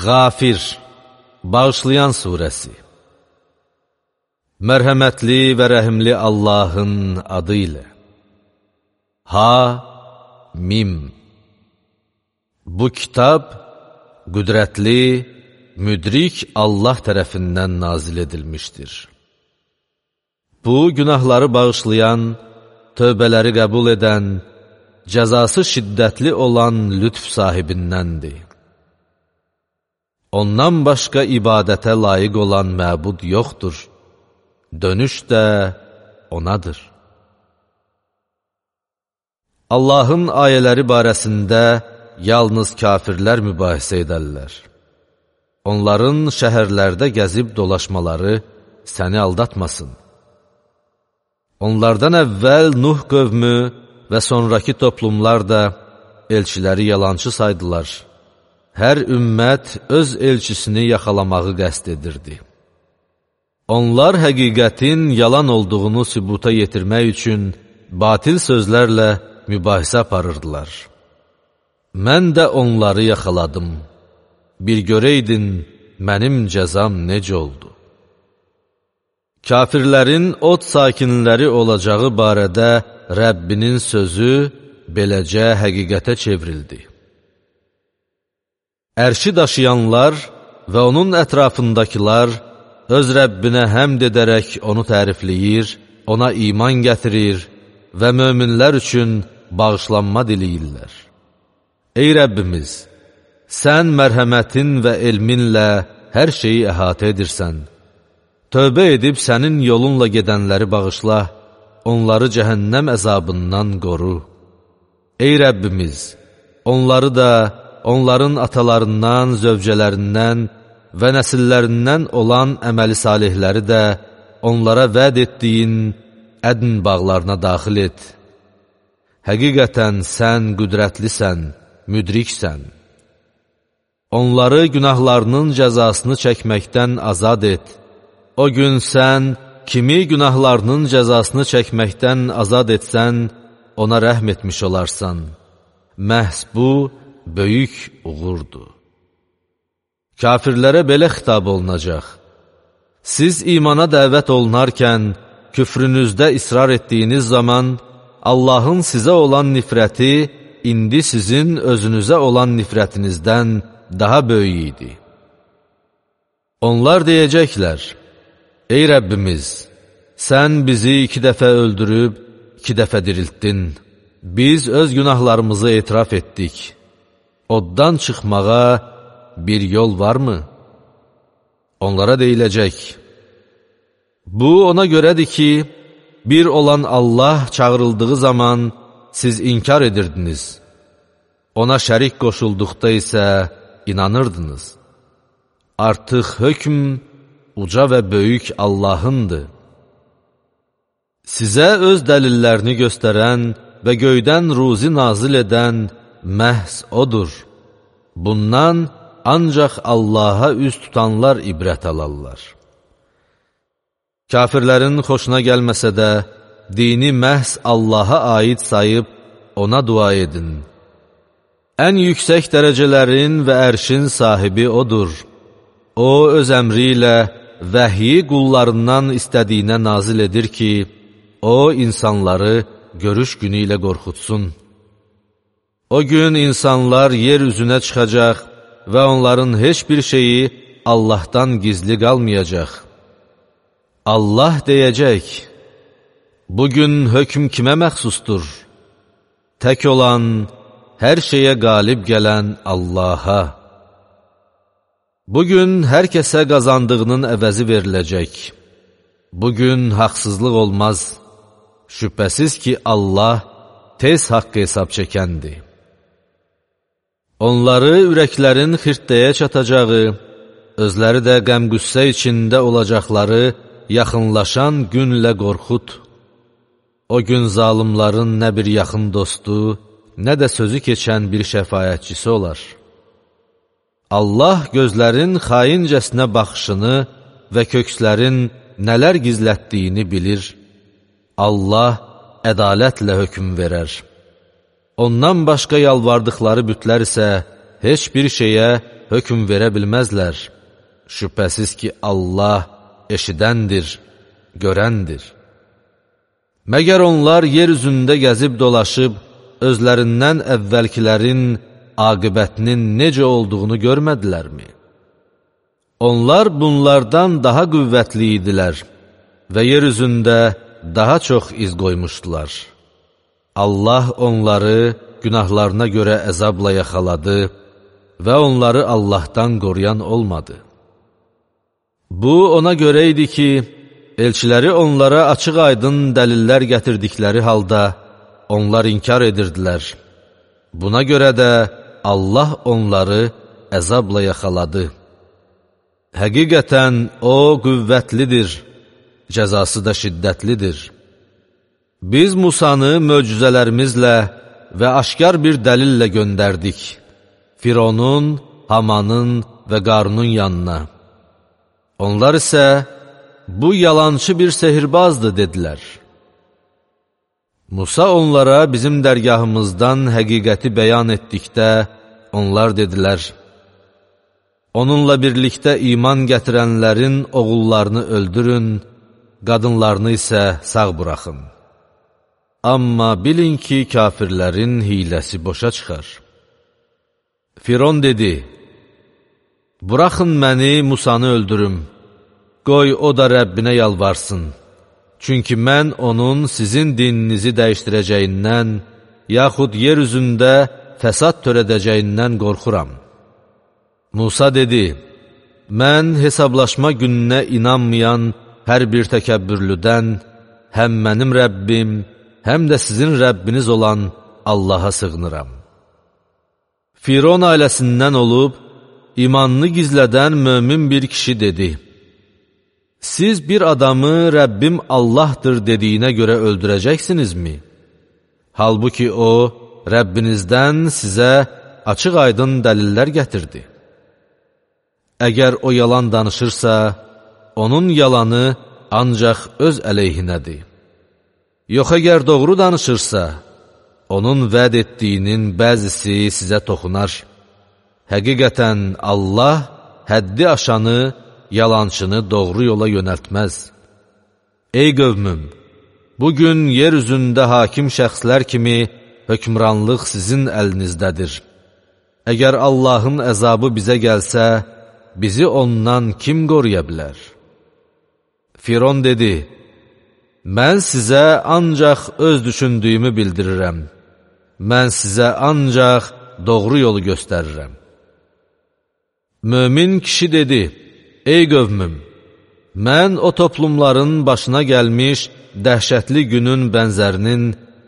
Qafir, bağışlayan surəsi. Mərhəmətli və rəhimli Allahın adı ilə. Ha-Mim. Bu kitab qüdrətli, müdrik Allah tərəfindən nazil edilmişdir. Bu, günahları bağışlayan, tövbələri qəbul edən, cəzası şiddətli olan lütf sahibindəndir. Ondan başqa ibadətə layiq olan məbud yoxdur. Dönüş də onadır. Allahın ayələri barəsində yalnız kafirlər mübahisə edərlər. Onların şəhərlərdə gəzib dolaşmaları səni aldatmasın. Onlardan əvvəl Nuh qövmü və sonraki toplumlar da elçiləri yalançı saydılar. Hər ümmət öz elçisini yaxalamağı qəsd edirdi. Onlar həqiqətin yalan olduğunu sübuta yetirmək üçün batil sözlərlə mübahisə aparırdılar. Mən də onları yaxaladım. Bir görəydin, mənim cəzam necə oldu? Kafirlərin od sakinləri olacağı barədə Rəbbinin sözü beləcə həqiqətə çevrildi. Ərşi daşıyanlar və onun ətrafındakılar öz Rəbbinə həmd edərək onu tərifləyir, ona iman gətirir və möminlər üçün bağışlanma diləyirlər. Ey Rəbbimiz, sən mərhəmətin və elminlə hər şeyi əhatə edirsən. Tövbə edib sənin yolunla gedənləri bağışla, onları cəhənnəm əzabından qoru. Ey Rəbbimiz, onları da, onların atalarından, zövcələrindən və nəsillərindən olan əməli salihləri də onlara vəd etdiyin ədn bağlarına daxil et. Həqiqətən sən qüdrətlisən, müdriksən. Onları günahlarının cəzasını çəkməkdən azad et. O gün sən kimi günahlarının cəzasını çəkməkdən azad etsən, ona rəhm etmiş olarsan. Məhz bu, böyük uğurdur. Kafirlərə belə xitab olunacaq. Siz imana dəvət olunarkən, küfrünüzdə israr etdiyiniz zaman, Allahın sizə olan nifrəti, indi sizin özünüzə olan nifrətinizdən daha böyük idi. Onlar deyəcəklər, ey Rəbbimiz, sən bizi 2 dəfə öldürüb, 2 dəfə diriltdin. Biz öz günahlarımızı etiraf etdik. Oddan çıxmağa bir yol varmı? Onlara deyiləcək, bu ona görədir ki, bir olan Allah çağırıldığı zaman siz inkar edirdiniz. Ona şərik qoşulduqda isə inanırdınız. Artıq hökm uca və böyük Allahındır. Sizə öz dəlillərini göstərən və göydən ruzi nazil edən məhz odur. Bundan ancaq Allaha üz tutanlar ibrət alarlar. Kafirlərin xoşuna gəlməsə də, dini məhz Allaha aid sayıb ona dua edin. Ən yüksək dərəcələrin və ərşin sahibi odur. O, öz əmri ilə vəhyi qullarından istədiyinə nazil edir ki, o, insanları görüş günü ilə qorxutsun. O gün insanlar yer üzünə çıxacaq və onların heç bir şeyi Allahdan gizli qalmayacaq. Allah deyəcək, bugün hökm kimə məxsusdur? Tək olan, hər şeyə qalib gələn Allaha. Bugün hər kəsə qazandığının əvəzi veriləcək. Bugün haqsızlıq olmaz. Şübhəsiz ki, Allah tez haqqı hesab çəkəndir. Onları ürəklərin xirtdəyə çatacağı, özləri də qəm-qüssə içində olacaqları yaxınlaşan günlə qorxut. O gün zalimların nə bir yaxın dostu, nə də sözü keçən bir şəfaətçisi olar. Allah gözlərin xaincəsinə baxışını və kökslərin nələr gizlətdiyini bilir. Allah ədalətlə hökm verər. Ondan başqa yalvardıqları bütlər isə heç bir şeyə hökm verə bilməzlər. Şübhəsiz ki, Allah eşidəndir, görəndir. Məgər onlar yer üzündə gəzib dolaşıb, özlərindən əvvəlkilərin aqibətinin necə olduğunu görmədilərmi? Onlar bunlardan daha qüvvətli idilər və yer üzündə daha çox iz qoymuşdular. Allah onları günahlarına görə əzabla yaxaladı və onları Allahdan qoruyan olmadı. Bu, ona görə idi ki, elçiləri onlara açıq-aydın dəlillər gətirdikləri halda onlar inkar edirdilər. Buna görə də Allah onları əzabla yaxaladı. Həqiqətən O qüvvətlidir, cəzası da şiddətlidir. Biz Musanı möcüzələrimizlə və aşkar bir dəlillə göndərdik. Fironun, Hamanın və Qarunun yanına. Onlar isə, bu yalançı bir sehirbazdır, dedilər. Musa onlara bizim dərgahımızdan həqiqəti bəyan etdikdə, onlar dedilər, onunla birlikdə iman gətirənlərin oğullarını öldürün, qadınlarını isə sağ buraxın. Amma bilin ki, kafirlərin hiləsi boşa çıxar. Firon dedi, buraxın məni, Musanı öldürüm, qoy o da Rəbbinə yalvarsın. Çünki mən onun sizin dininizi dəyişdirəcəyindən, yaxud yer üzündə fəsad törədəcəyindən qorxuram. Musa dedi, mən hesablaşma gününə inanmayan hər bir təkəbbürlüdən, həm mənim Rəbbim, həm də sizin Rəbbiniz olan Allaha sığınıram. Firon ailəsindən olub, imanını gizlədən mömin bir kişi dedi, siz bir adamı Rəbbim Allahdır dediyinə görə öldürəcəksinizmi? Halbuki o, Rəbbinizdən sizə açıq-aydın dəlillər gətirdi. Əgər o yalan danışırsa, onun yalanı ancaq öz əleyhinədir. Yox, əgər doğru danışırsa, onun vəd etdiyinin bəzisi sizə toxunar. Həqiqətən Allah həddi aşanı, yalançını doğru yola yönəltməz. Ey qövmüm, bugün yer üzündə hakim şəxslər kimi hökmranlıq sizin əlinizdədir. Əgər Allahın əzabı bizə gəlsə, bizi ondan kim qoruya bilər? Firon dedi, mən sizə ancaq öz düşündüyümü bildirirəm. Mən sizə ancaq doğru yolu göstərirəm. Mömin kişi dedi, ey qövmüm, mən o toplumların başına gəlmiş dəhşətli günün bənzərinin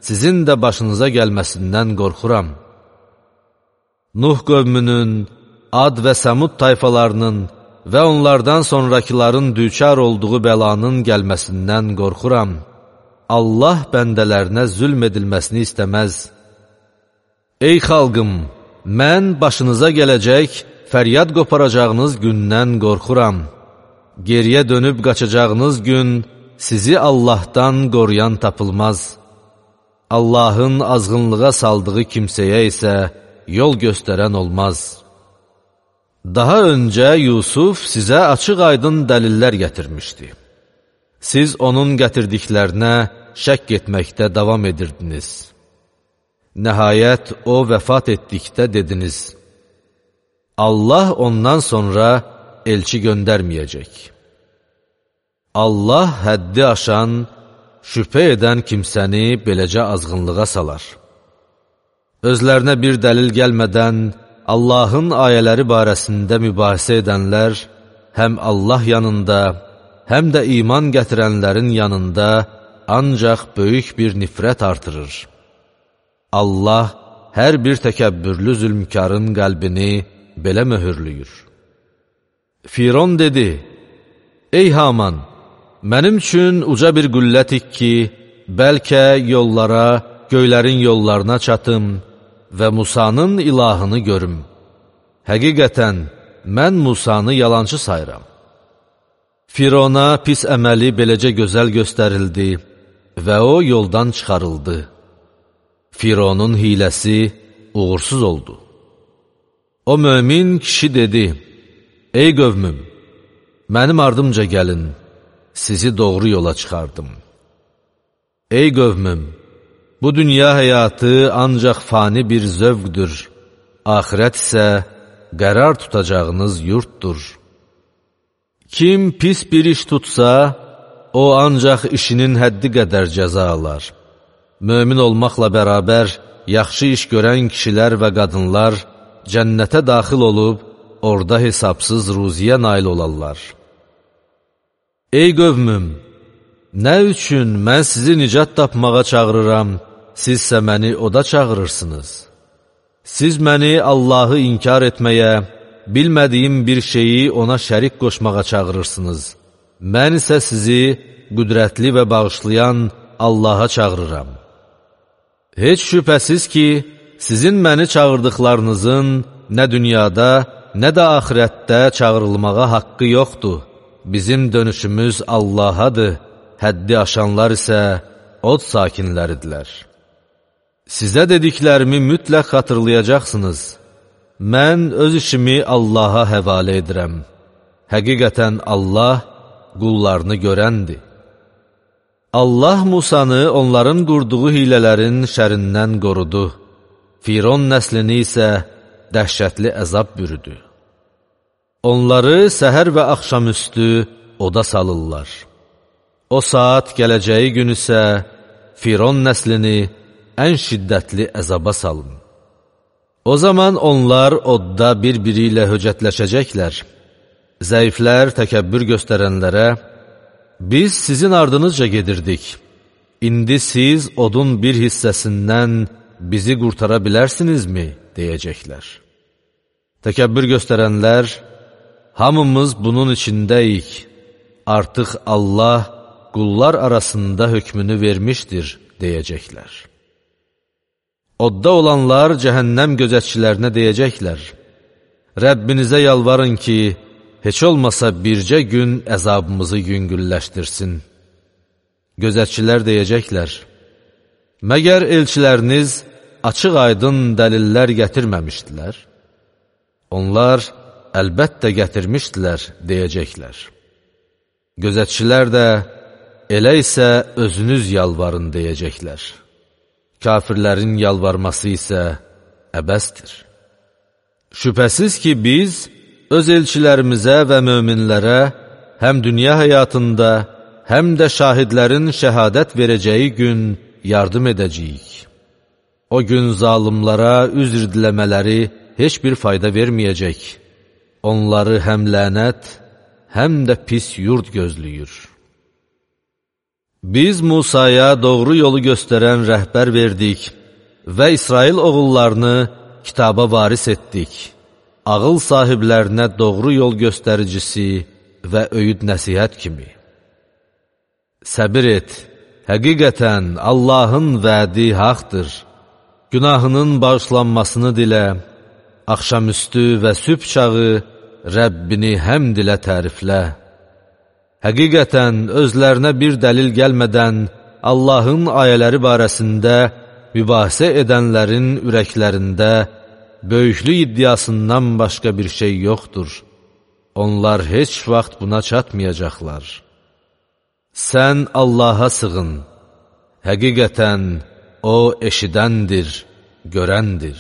sizin də başınıza gəlməsindən qorxuram. Nuh qövmünün, Ad və Səmud tayfalarının və onlardan sonrakıların düçar olduğu bəlanın gəlməsindən qorxuram. Allah bəndələrinə zülm edilməsini istəməz. Ey xalqım, mən başınıza gələcək, fəryad qoparacağınız gündən qorxuram. Geriyə dönüb qaçacağınız gün sizi Allahdan qoruyan tapılmaz. Allahın azğınlığa saldığı kimsəyə isə yol göstərən olmaz. Daha öncə Yusuf sizə açıq-aydın dəlillər gətirmişdi. Siz onun gətirdiklərinə şəkk etməkdə davam edirdiniz. Nəhayət o vəfat etdikdə dediniz, Allah ondan sonra elçi göndərməyəcək. Allah həddi aşan, şübhə edən kimsəni beləcə azğınlığa salar. Özlərinə bir dəlil gəlmədən, Allahın ayələri barəsində mübahisə edənlər, həm Allah yanında, həm də iman gətirənlərin yanında ancaq böyük bir nifrət artırır. Allah hər bir təkəbbürlü zülmkarın qəlbini belə möhürlüyür. Firon dedi, ey Haman, mənim üçün uca bir qüllə tik ki, bəlkə yollara, göylərin yollarına çatım və Musanın ilahını görüm. Həqiqətən, mən Musanı yalancı sayıram. Firona pis əməli beləcə gözəl göstərildi və o yoldan çıxarıldı. Fironun hiləsi uğursuz oldu. O mömin kişi dedi, ey qövmüm, mənim ardımca gəlin, sizi doğru yola çıxardım. Ey qövmüm, bu dünya həyatı ancaq fani bir zövqdür, axirət isə qərar tutacağınız yurtdur. Kim pis bir iş tutsa, o ancaq işinin həddi qədər cəza alar. Mömin olmaqla bərabər, yaxşı iş görən kişilər və qadınlar cənnətə daxil olub, orada hesabsız ruziyə nail olarlar. Ey qövmüm, nə üçün mən sizi nicat tapmağa çağırıram, sizsə məni oda çağırırsınız? Siz məni Allahı inkar etməyə, bilmədiyim bir şeyi ona şərik qoşmağa çağırırsınız. Mən isə sizi qüdrətli və bağışlayan Allaha çağırıram. Heç şübhəsiz ki, sizin məni çağırdıqlarınızın nə dünyada, nə də axirətdə çağırılmağa haqqı yoxdur. Bizim dönüşümüz Allahadır, həddi aşanlar isə od sakinləridirlər. Sizə dediklərimi mütləq xatırlayacaqsınız. Mən öz işimi Allaha həvalə edirəm. Həqiqətən Allah qullarını görəndir. Allah Musanı onların qurduğu hilələrin şərindən qorudu. Firon nəslini isə dəhşətli əzab bürüdü. Onları səhər və axşamüstü oda salırlar. O saat gələcəyi gün isə Firon nəslini ən şiddətli əzaba salın. O zaman onlar odda bir-biri ilə höcətləşəcəklər. Zəiflər təkəbbür göstərənlərə, biz sizin ardınızca gedirdik. İndi siz odun bir hissəsindən bizi qurtara bilərsinizmi? Deyəcəklər. Təkəbbür göstərənlər, hamımız bunun içindəyik. Artıq Allah qullar arasında hökmünü vermişdir, deyəcəklər. Odda olanlar cəhənnəm gözətçilərinə deyəcəklər. Rəbbinizə yalvarın ki, heç olmasa bircə gün əzabımızı yüngülləşdirsin. Gözətçilər deyəcəklər, məgər elçiləriniz açıq-aydın dəlillər gətirməmişdilər? Onlar əlbəttə gətirmişdilər, deyəcəklər. Gözətçilər də, elə isə özünüz yalvarın, deyəcəklər. Kafirlərin yalvarması isə əbəsdir. Şübhəsiz ki, biz öz elçilərimizə və möminlərə həm dünya həyatında, həm də şahidlərin şəhadət verəcəyi gün yardım edəcəyik. O gün zalımlara üzr diləmələri heç bir fayda verməyəcək. Onları həm lənət, həm də pis yurd gözləyir. Biz Musaya doğru yolu göstərən rəhbər verdik və İsrail oğullarını kitaba varis etdik. Ağıl sahiblərinə doğru yol göstəricisi və öyüd nəsihət kimi. Səbir et, həqiqətən Allahın vədi haqdır. Günahının bağışlanmasını dilə, axşamüstü və sübh çağı Rəbbini həmd ilə təriflə. Həqiqətən özlərinə bir dəlil gəlmədən Allahın ayələri barəsində mübahisə edənlərin ürəklərində böyüklük iddiasından başqa bir şey yoxdur. Onlar heç vaxt buna çatmayacaqlar. Sən Allaha sığın. Həqiqətən O eşidəndir, görəndir.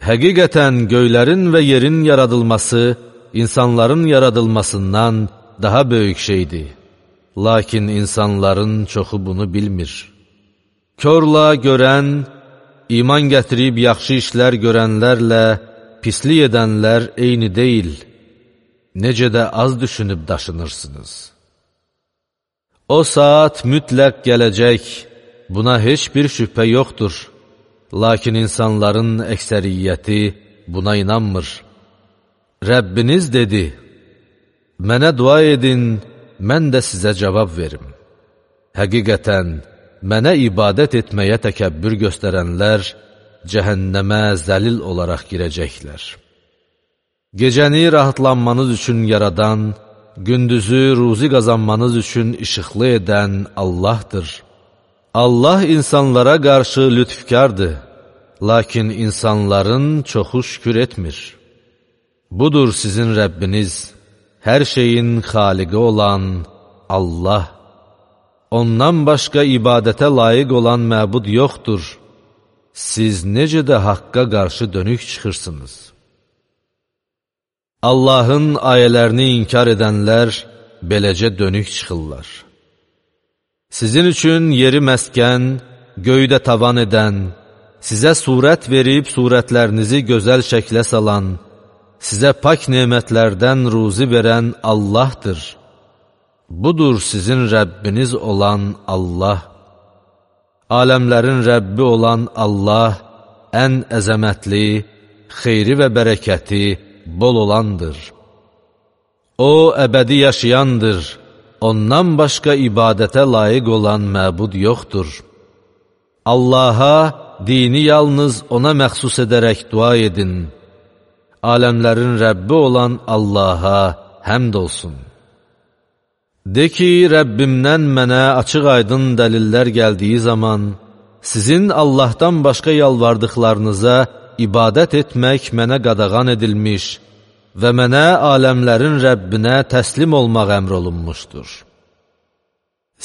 Həqiqətən göylərin və yerin yaradılması insanların yaradılmasından daha böyük şeydir. Lakin insanların çoxu bunu bilmir. Körla görən, iman gətirib yaxşı işlər görənlərlə pislik edənlər eyni deyil. Necə də az düşünüb daşınırsınız. O saat mütləq gələcək, buna heç bir şübhə yoxdur. Lakin insanların əksəriyyəti buna inanmır. Rəbbiniz dedi, mənə dua edin, mən də sizə cavab verim. Həqiqətən, mənə ibadət etməyə təkəbbür göstərənlər cəhənnəmə zəlil olaraq girəcəklər. Gecəni rahatlanmanız üçün yaradan, gündüzü ruzi qazanmanız üçün işıqlı edən Allahdır. Allah insanlara qarşı lütfkardır, lakin insanların çoxu şükür etmir. Budur sizin Rəbbiniz, hər şeyin xaliqi olan Allah. Ondan başqa ibadətə layiq olan məbud yoxdur. Siz necə də haqqa qarşı dönük çıxırsınız. Allahın ayələrini inkar edənlər beləcə dönük çıxırlar. Sizin üçün yeri məskən, göydə tavan edən, sizə surət verib surətlərinizi gözəl şəklə salan, sizə pak nemətlərdən ruzi verən Allahdır. Budur sizin Rəbbiniz olan Allah. Aləmlərin Rəbbi olan Allah ən əzəmətli, xeyri və bərəkəti bol olandır. O, əbədi yaşayandır. Ondan başqa ibadətə layiq olan məbud yoxdur. Allaha, dini yalnız ona məxsus edərək dua edin. Aləmlərin Rəbbi olan Allaha həmd olsun. De ki, Rəbbimdən mənə açıq-aydın dəlillər gəldiyi zaman, sizin Allahdan başqa yalvardıqlarınıza ibadət etmək mənə qadağan edilmiş və mənə aləmlərin Rəbbinə təslim olmaq əmr olunmuşdur.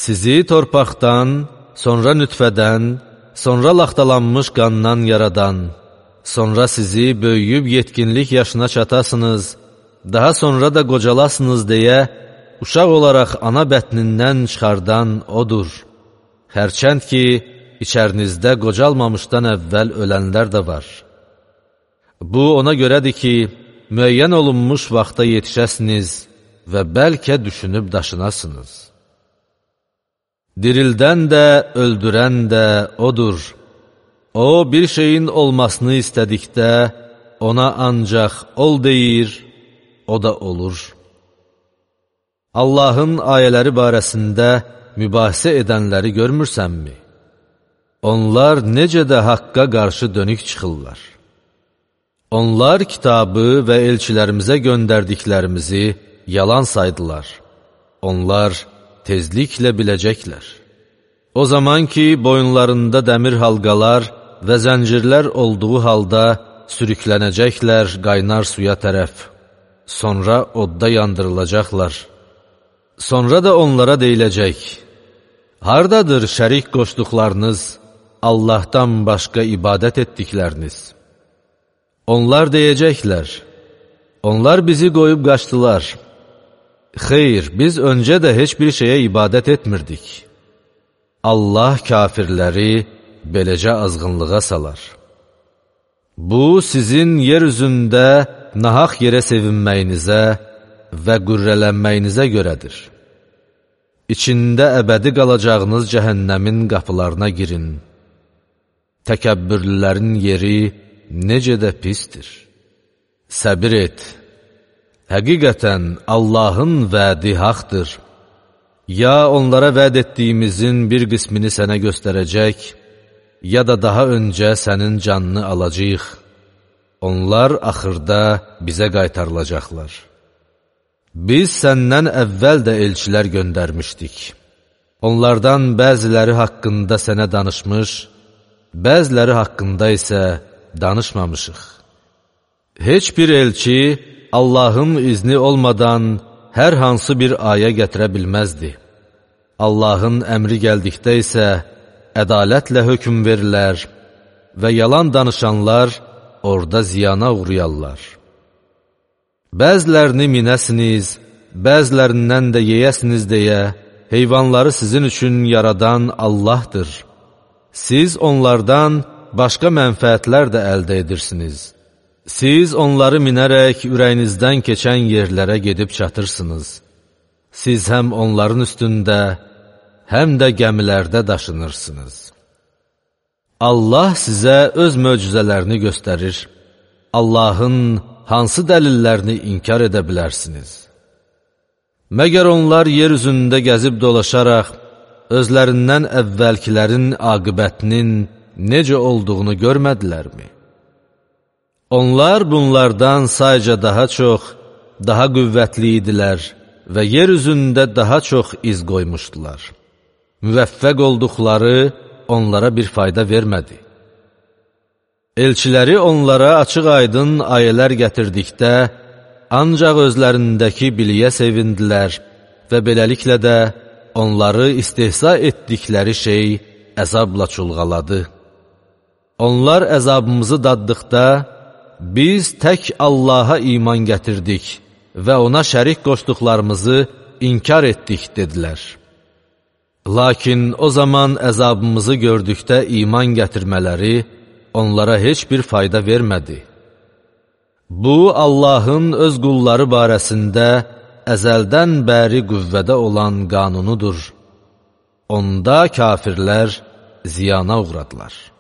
Sizi torpaqdan, sonra nütfədən, sonra laxtalanmış qandan yaradan, sonra sizi böyüyüb yetkinlik yaşına çatasınız, daha sonra da qocalasınız deyə, uşaq olaraq ana bətnindən çıxardan O'dur. Hərçənd ki, içərinizdə qocalmamışdan əvvəl ölənlər də var. Bu, ona görədir ki, müəyyən olunmuş vaxta yetişəsiniz və bəlkə düşünüb daşınasınız. Dirildən də, öldürən də O'dur. O, bir şeyin olmasını istədikdə, ona ancaq ol deyir, o da olur. Allahın ayələri barəsində mübahisə edənləri görmürsənmi? Onlar necə də haqqa qarşı dönük çıxırlar. Onlar kitabı və elçilərimizə göndərdiklərimizi yalan saydılar. Onlar tezliklə biləcəklər. O zaman ki, boyunlarında dəmir halqalar və zəncirlər olduğu halda sürüklənəcəklər qaynar suya tərəf. Sonra odda yandırılacaqlar. Sonra da onlara deyiləcək, hardadır şərik qoşduqlarınız, Allahdan başqa ibadət etdikləriniz? Onlar deyəcəklər, onlar bizi qoyub qaçdılar. Xeyr, biz öncə də heç bir şeyə ibadət etmirdik. Allah kafirləri beləcə azğınlığa salar. Bu, sizin yer üzündə nahaq yerə sevinməyinizə və qürrələnməyinizə görədir. İçində əbədi qalacağınız cəhənnəmin qapılarına girin. Təkəbbürlülərin yeri necə də pistir. Səbir et. Həqiqətən Allahın vədi haqdır. Ya onlara vəd etdiyimizin bir qismini sənə göstərəcək, ya da daha öncə sənin canını alacaq. Onlar axırda bizə qaytarılacaqlar. Biz səndən əvvəl də elçilər göndərmişdik. Onlardan bəziləri haqqında sənə danışmış, bəziləri haqqında isə danışmamışıq. Heç bir elçi Allahın izni olmadan hər hansı bir ayə gətirə bilməzdi. Allahın əmri gəldikdə isə ədalətlə hökm verilər və yalan danışanlar orada ziyana uğrayarlar. Bəzilərini minəsiniz, bəzilərindən də yeyəsiniz deyə heyvanları sizin üçün yaradan Allahdır. Siz onlardan başqa mənfəətlər də əldə edirsiniz. Siz onları minərək ürəyinizdən keçən yerlərə gedib çatırsınız. Siz həm onların üstündə, həm də gəmilərdə daşınırsınız. Allah sizə öz möcüzələrini göstərir. Allahın hansı dəlillərini inkar edə bilərsiniz? Məgər onlar yer üzündə gəzib dolaşaraq, özlərindən əvvəlkilərin aqibətinin necə olduğunu görmədilərmi? Onlar bunlardan sayca daha çox, daha qüvvətli idilər və yer üzündə daha çox iz qoymuşdular. Müvəffəq olduqları onlara bir fayda vermədi. Elçiləri onlara açıq-aydın ayələr gətirdikdə, ancaq özlərindəki biliyə sevindilər və beləliklə də onları istehza etdikləri şey əzabla çulğaladı. Onlar əzabımızı daddıqda, biz tək Allaha iman gətirdik və ona şərik qoşduqlarımızı inkar etdik, dedilər. Lakin o zaman əzabımızı gördükdə iman gətirmələri onlara heç bir fayda vermədi. Bu, Allahın öz qulları barəsində əzəldən bəri qüvvədə olan qanunudur. Onda kafirlər ziyana uğradılar.